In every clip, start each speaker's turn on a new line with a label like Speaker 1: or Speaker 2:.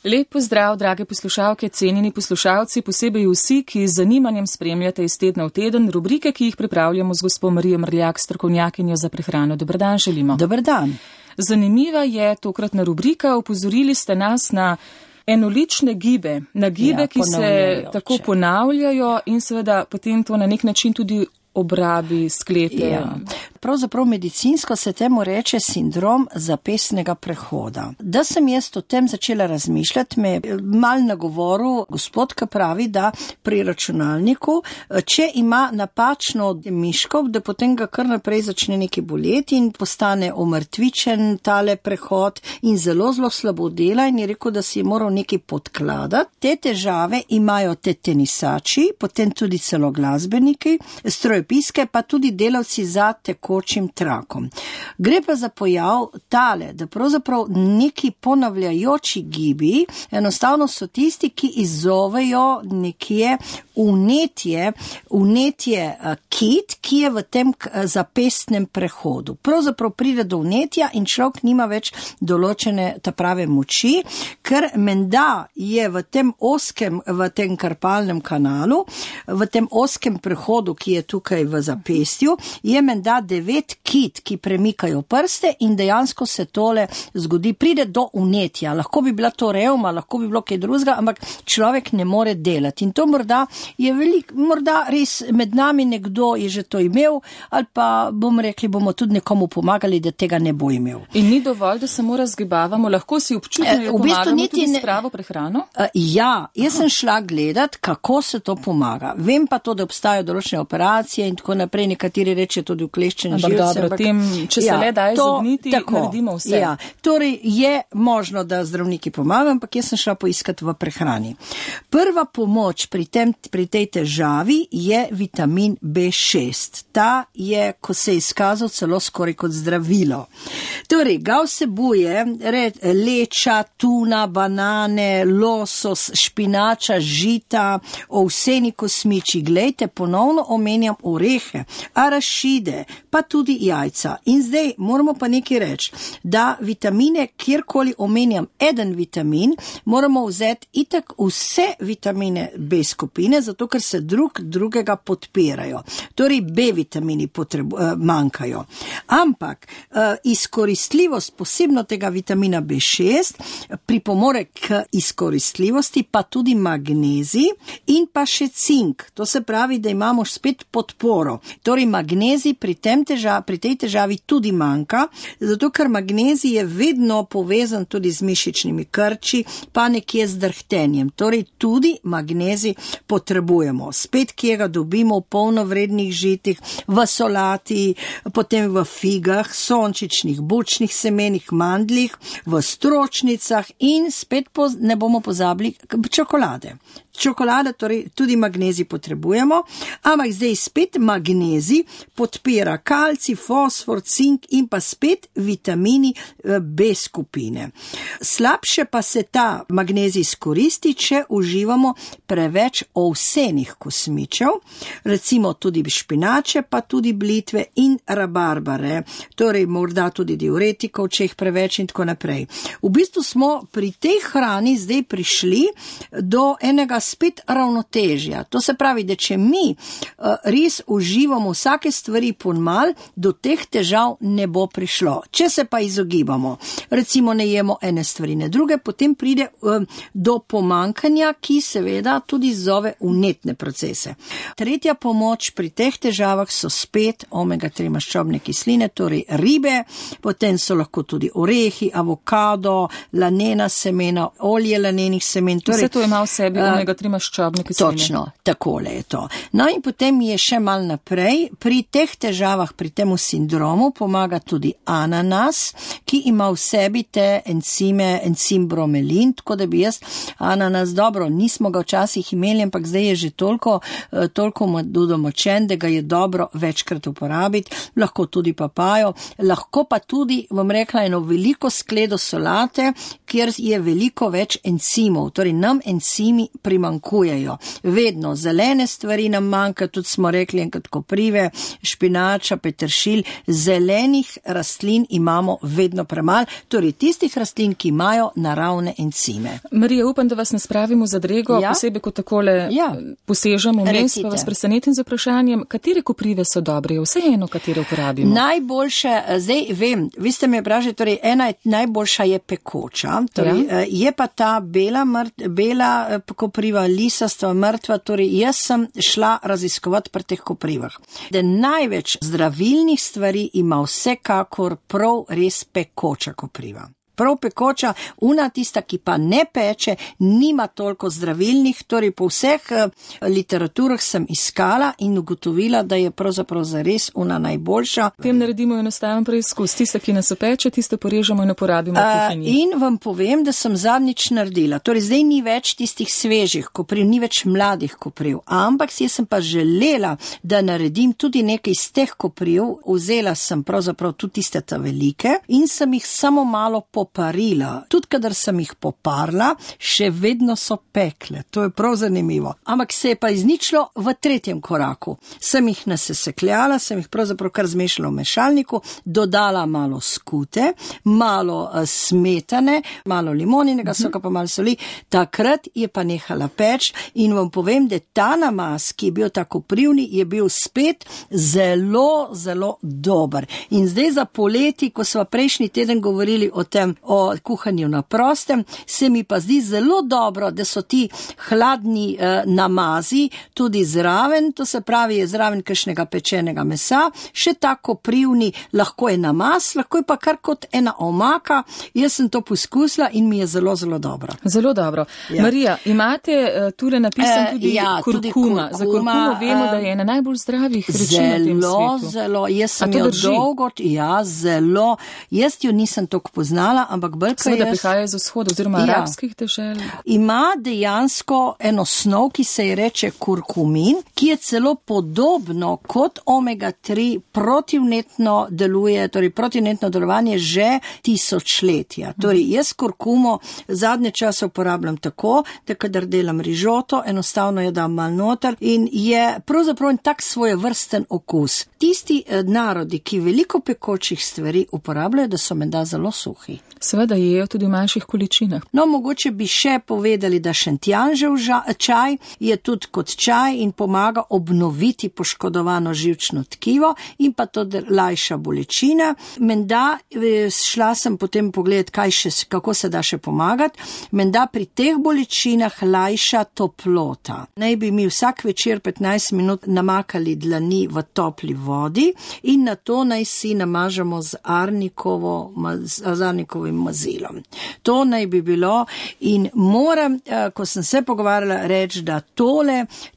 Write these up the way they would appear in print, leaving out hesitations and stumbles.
Speaker 1: Lep pozdrav, drage poslušalke, cenjeni poslušalci, posebej vsi, ki z zanimanjem spremljate iz tedna v teden rubrike, ki jih pripravljamo z gospo Marijo Mrljak, strokovnjakinjo za prehrano. Dober dan želimo.
Speaker 2: Dober dan.
Speaker 1: Zanimiva je tokratna rubrika. Opozorili ste nas na enolične gibe, na gibe, ki se tako ponavljajo in seveda potem to na nek način tudi obrabi, sklete.
Speaker 2: Ja. Pravzaprav medicinsko se temu reče sindrom zapestnega prehoda. Da sem jaz o tem začela razmišljati, me mal na govoru gospod, ki pravi, da pri računalniku, če ima napačno miškov, da potem ga kar naprej začne nekaj boleti in postane omrtvičen tale prehod in zelo slabo dela in je rekel, da si je moral nekaj podkladati. Te težave imajo te tenisači, potem tudi celo glasbeniki, strojopiske, pa tudi delavci za tekočim trakom. Gre pa za pojav tale, da pravzaprav neki ponavljajoči gibi enostavno so tisti, ki izzovejo nekje vnetje kit, ki je v tem zapestnem prehodu. Pravzaprav pride do vnetja in človek nima več določene ta prave moči, ker menda je v tem karpalnem kanalu, v tem oskem prehodu, ki je tukaj v zapestju, je menda 9 kit, ki premikajo prste in dejansko se tole zgodi, pride do vnetja. Lahko bi bila to revma, lahko bi bilo kaj drugega, ampak človek ne more delati. In to morda je morda res med nami nekdo je že to imel, ali pa bomo tudi nekomu pomagali, da tega ne bo imel.
Speaker 1: In ni dovolj, da samo razgibavamo, lahko si občutno pomagamo tudi s pravo prehrano?
Speaker 2: Ja, jaz sem šla gledat, kako se to pomaga. Vem pa to, da obstajajo določene operacije in tako naprej, nekateri reče tudi ukleščene živce.
Speaker 1: Ampak če se le da izogniti, naredimo vse.
Speaker 2: Ja, torej je možno, da zdravniki pomagajo, ampak jaz sem šla poiskati v prehrani. Prva pomoč pri tej težavi je vitamin B6. Ta je, ko se je izkazal, celo skoraj kot zdravilo. Torej, ga vsebuje leča, tuna, banane, losos, špinača, žita, ovseni kosmiči. Glejte, ponovno omenjam orehe, arašide, pa tudi jajca. In zdaj moramo pa nekaj reči, da vitamine, kjerkoli omenjam eden vitamin, moramo vzeti itak vse vitamine B skupine, zato ker se drugega podpirajo. Torej B vitamini manjkajo. Ampak izkoristljivost posebno tega vitamina B6 pripomore k izkoristljivosti, pa tudi magnezij in pa še cink. To se pravi, da imamo spet podporo. Torej magnezij pri tej težavi tudi manjka, zato ker magnezij je vedno povezan tudi z mišičnimi krči, pa nekje z drhtenjem. Torej tudi magnezij potrebujemo. Spet, kje ga dobimo v polnovrednih žitih, v solati, potem v figah, sončičnih, bučnih semenih, mandljih, v stročnicah in spet ne bomo pozabili čokolade. Čokolada, torej tudi magnezij potrebujemo, ampak zdaj spet magnezij podpira kalcij, fosfor, cink in pa spet vitamini B skupine. Slabše pa se ta magnezij izkoristi, če uživamo preveč ovsenih kosmičev, recimo tudi špinače, pa tudi blitve in rabarbare, torej morda tudi diuretikov, če jih preveč in tako naprej. V bistvu smo pri tej hrani zdaj prišli do enega spet ravnotežja. To se pravi, da če mi res uživamo vsake stvari ponmal, do teh težav ne bo prišlo. Če se pa izogibamo, recimo ne jemo ene stvari, ne druge, potem pride do pomankanja, ki seveda tudi zove vnetne procese. Tretja pomoč pri teh težavah so spet omega-3 maščobne kisline, torej ribe, potem so lahko tudi orehi, avokado, lanena semena, olje lanenih semen.
Speaker 1: Torej, vse to ima v sebi omega-3 maščobne kisline.
Speaker 2: Točno, takole je to. No in potem je še mal naprej, pri teh težavah, pri temu sindromu pomaga tudi ananas, ki ima v sebi te encim bromelin, tako da bi jaz ananas, dobro, nismo ga včasih imeli, ampak zdaj je že toliko domočen, da ga je dobro večkrat uporabiti, lahko tudi papajo, lahko pa tudi, bom rekla, eno veliko skledo solate, kjer je veliko več encimov, torej nam encimi primanjkujejo. Vedno zelene stvari nam manjka, tudi smo rekli enkrat koprive, špinača, peteršilj, zelenih rastlin imamo vedno premalo, torej tistih rastlin, ki imajo naravne encime.
Speaker 1: Marija, upam, da vas ne spravimo za drego, posebej, ko takole posežemo vmes, pa vas presenetim z vprašanjem, katere koprive so dobre, vseeno, katere uporabimo?
Speaker 2: Najboljše, zdaj vem, vi ste me vprašali, torej ena najboljša je pekoča, torej je pa ta bela kopriva, lisastva, mrtva, torej jaz sem šla raziskovati pri teh koprivah. Da največ zdravilnih stvari ima vsekakor prav res pekoča kopriva. Prav pekoča, tista, ki pa ne peče, nima toliko zdravilnih, torej po vseh literaturah sem iskala in ugotovila, da je pravzaprav zares najboljša.
Speaker 1: Tem naredimo enostaven preizkus. Tiste, ki nas opeče, tiste porežemo in uporabimo v kuhinji.
Speaker 2: In vam povem, da sem zadnjič naredila. Torej zdaj ni več tistih svežih kopriv, ni več mladih kopriv, ampak jaz sem pa želela, da naredim tudi nekaj iz teh kopriv. Vzela sem pravzaprav tudi tiste ta velike in sem jih samo malo poparila. Tudi kadar sem jih poparila, še vedno so pekle. To je prav zanimivo. Ampak se je pa izničilo v tretjem koraku. Sem jih nasesekljala, sem jih pravzaprav kar zmešala v mešalniku, dodala malo skute, malo smetane, malo limoninega soka, pa malo soli. Takrat je pa nehala peč in vam povem, da ta namaz, ki je bil tako koprivni, je bil spet zelo, zelo dober. In zdaj za poleti, ko sva prejšnji teden govorili o tem, o kuhanju na prostem, se mi pa zdi zelo dobro, da so ti hladni namazi tudi zraven, to se pravi je zraven kakšnega pečenega mesa, še tako koprivni, lahko je namaz, lahko je pa kar kot ena omaka. Jaz sem to poskusila in mi je zelo, zelo dobro.
Speaker 1: Zelo dobro. Ja. Marija, imate tule napisan tudi kurkuma. Za kurkumo vemo, da je ena najbolj zdravih rečin na tem svetu.
Speaker 2: Zelo, jaz sem jo dolgo, zelo, jaz jo nisem toliko poznala, ampak brka
Speaker 1: seveda prihaja iz vzhoda oziroma arabskih dežel.
Speaker 2: Ima dejansko eno snov, ki se je reče kurkumin, ki je celo podobno kot omega-3 protivnetno deluje, torej protivnetno delovanje že tisočletja. Torej jaz kurkumo zadnje čase uporabljam tako, da kadar delam rižoto, enostavno jo dam mal noter in je pravzaprav tak svojevrsten okus. Tisti narodi, ki veliko pekočih stvari uporabljajo, da so menda zelo suhi.
Speaker 1: Seveda jejo tudi v manjših količinah.
Speaker 2: No, mogoče bi še povedali, da šentjanžev čaj je tudi kot čaj in pomaga obnoviti poškodovano živčno tkivo in pa to lajša bolečine. Menda šla sem potem pogledati, kako se da še pomagati. Menda pri teh bolečinah lajša toplota. Naj bi mi vsak večer 15 minut namakali dlani v topli vodi in na to naj si namažemo z arnikovim mazilom. To naj bi bilo in moram, ko sem se pogovarjala, reči, da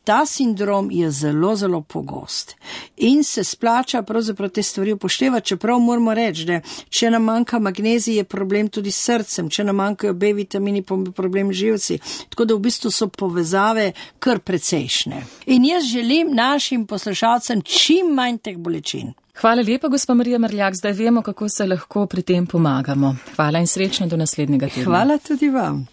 Speaker 2: ta sindrom je zelo, zelo pogost. In se splača pravzaprav te stvari upoštevati, čeprav moramo reči, da če nam manjka magnezij, je problem tudi s srcem, če nam manjkajo B vitamini, problem živci. Tako da v bistvu so povezave kar precejšnje. In jaz želim našim poslušalcem čim manj teh bolečin.
Speaker 1: Hvala lepa, gospa Marija Mrljak, zdaj vemo, kako se lahko pri tem pomagamo. Hvala in srečno do naslednjega tedna.
Speaker 2: Hvala tudi vam.